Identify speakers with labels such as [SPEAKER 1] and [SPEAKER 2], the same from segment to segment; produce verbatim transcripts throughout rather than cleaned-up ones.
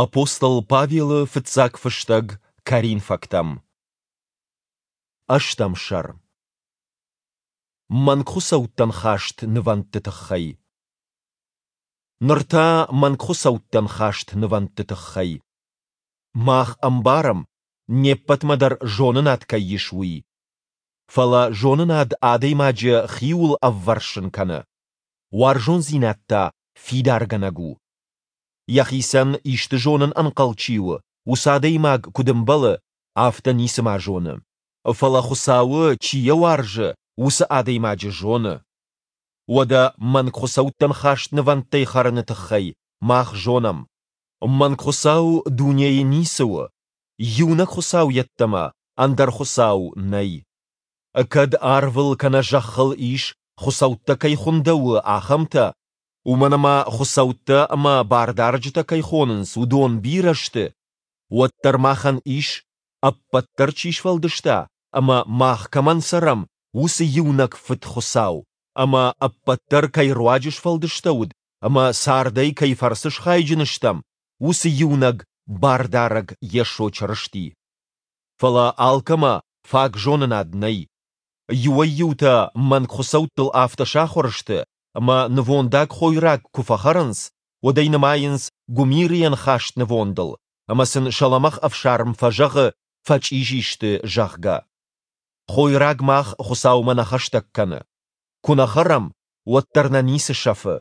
[SPEAKER 1] Апостол Павелы фыццаг фыстӕг Коринфӕгтӕм. Ӕстӕм сӕр. Мӕнгхуыцӕуттӕн хаст нывӕндты тыххӕй. Ныр та мӕнгхуыцӕуттӕн хаст нывӕндты тыххӕй. Мах ӕмбарӕм, не ппӕтмӕ дӕр зонынад кӕй ис, уый. Фӕлӕ зонынад адӕймаджы хиуыл ӕввӕрсын кӕны, уарзондзинад та фидаргӕнӕг у. Йӕхицӕн исты зонын ӕнхъӕл чи у, уыцы адӕймаг, куыд ӕмбӕлы, афтӕ ницыма зоны. Фӕлӕ Хуыцауы, чи йӕ уарзы, уыцы адӕймаджы зоны. Уӕдӕ мӕнгхуыцӕуттӕн хаст нывӕндтӕй хӕрыны тыххӕй мах зонӕм: мӕнгхуыцау дунейы ницы у, иунӕг Хуыцау йеддӕмӕ ӕндӕр хуыцау нӕй. Кӕд арвыл кӕнӕ зӕххыл ис, хуыцӕуттӕ кӕй хуындӕуы, ахӕмтӕ, уымӕн ӕмӕ хуыцӕуттӕ ӕмӕ бардарджытӕ кӕй хонынц, уыдон бирӕ сты, уӕддӕр махӕн ис, ӕппӕт дӕр чи сфӕлдыста ӕмӕ мах кӕмӕн цӕрӕм, уыцы иунӕг Фыд Хуыцау, ӕмӕ ӕппӕт дӕр кӕй руаджы сфӕлдыстӕуыд ӕмӕ цардӕй кӕй фӕрцы схайджын стӕм, уыцы иунӕг Бардарӕг Йесо Чырысти. Фӕлӕ алкӕмӕ фаг зонынад нӕй. Иуӕй-иутӕ мӕнгхуыцӕуттыл афтӕ сахуыр сты, ӕмӕ нывондаг хойраг куы фӕхӕрынц, уӕд ӕй нымайынц гуымирыйӕн хаст нывондыл, ӕмӕ сын сӕ лӕмӕгъ ӕфсарм фӕзӕгъы, фӕчъизи сты, зӕгъгӕ. Хойраг мах Хуыцаумӕ нӕ хӕстӕг кӕны. Куы нӕ хӕрӕм, уӕддӕр нӕ ницы сӕфы,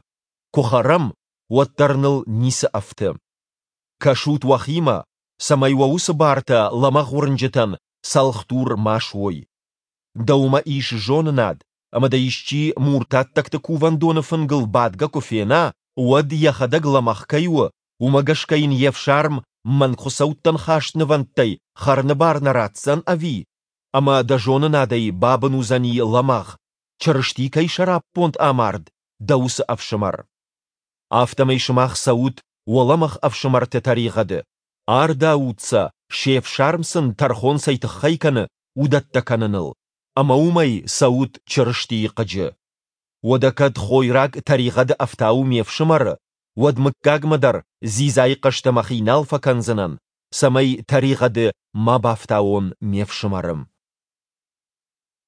[SPEAKER 1] куы хӕрӕм, уӕддӕр ныл ницы ӕфты. Кӕсут уӕхимӕ, цӕмӕй уӕ уыцы бартӕ лӕмӕгъ уырнджытӕн цӕлхдур ма суой. Дӕумӕ ис зонынад, ӕмӕ дӕ исчи муртаттӕгты кувӕндоны фынгыл бадгӕ куы фена, уӕд йӕхӕдӕг лӕмӕгъ кӕй у, уымӕ гӕсгӕ йын йе фсарм мӕнгхуыцӕуттӕн хаст нывӕндтӕй хӕрыны бар нӕ ратдзӕн, ӕви? Ӕмӕ дӕ зонынадӕй бабын уыдзӕни лӕмӕгъ, Чырысти кӕй сӕраппонд амард, дӕ уыцы ӕфсымӕр. Афтӕмӕй сымах цӕут уӕ лӕмӕгъ ӕфсымӕрты тӕригъӕды, ардаут сӕ, се фсарм сын тӕрхон цӕй тыххӕй кӕны, уыдӕттӕ кӕныныл, ӕмӕ уымӕй цӕут Чырыстийы хъыджы. Уӕдӕ кӕд хойраг тӕригъӕды ӕфтауы ме фсымӕры, уӕд мыггагмӕ дӕр дзидзайы хъӕстӕ мӕхи нал фӕкӕндзынӕн, цӕмӕй тӕригъӕды ма бафтауон ме фсымӕры.